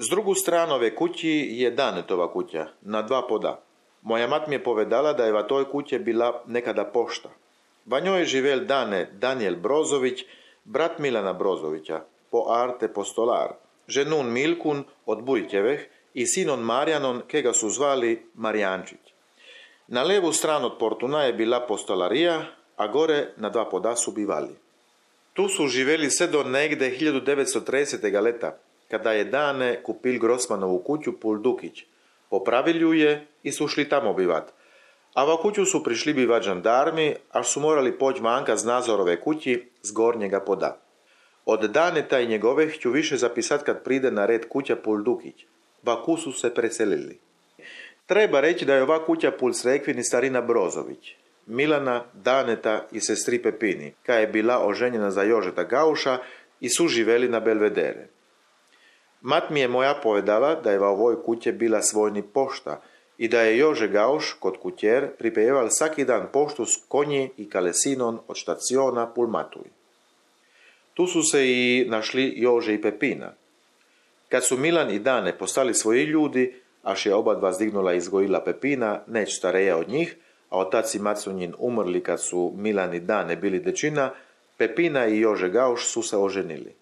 Z drugu stranu ove kući je Danetova kuća, na 2 poda. Moja mat mi je povedala da je v toj kući bila nekada pošta. Va njoj je živel Dane Daniel Brozović, brat Milana Brozovića, po arte postolar, ženun Milkun od Bujtjeveh i sinon Marjanon, ke ga su zvali Marijančić. Na levu stranu od portuna je bila postolarija, a gore na 2 poda su bivali. Tu su živeli sve do negde 1930. leta, kada je Dane kupil Grossmanovu kuću Pul Dukić. Popravili je i su šli tamo bivat. A va kuću su prišli bivat žandarmi, až su morali poći vanka z Nazorove kući z gornjega poda. Od Daneta i njegove ću više zapisat kad pride na red kuća Pul Dukić. Va ku su se preselili. Treba reći da je ova kuća Pul Srekvini starina Brozović, Milana, Daneta i sestri Pepini, ka je bila oženjena za Jožeta Gauša i su živeli na Belvedere. Mat mi je moja povedala da je v ovoj kuće bila svojni pošta i da je Jože Gauš kod kućer pripejeval svaki dan poštu s konji i kalesinon od štaciona Pul Matuj. Tu su se i našli Jože i Pepina. Kad su Milan i Dane postali svoji ljudi, až je oba dva zdignula i izgojila Pepina, neć stareja od njih, a otac i mat su njin umrli kad su Milan i Dane bili dečina, Pepina i Jože Gauš su se oženili.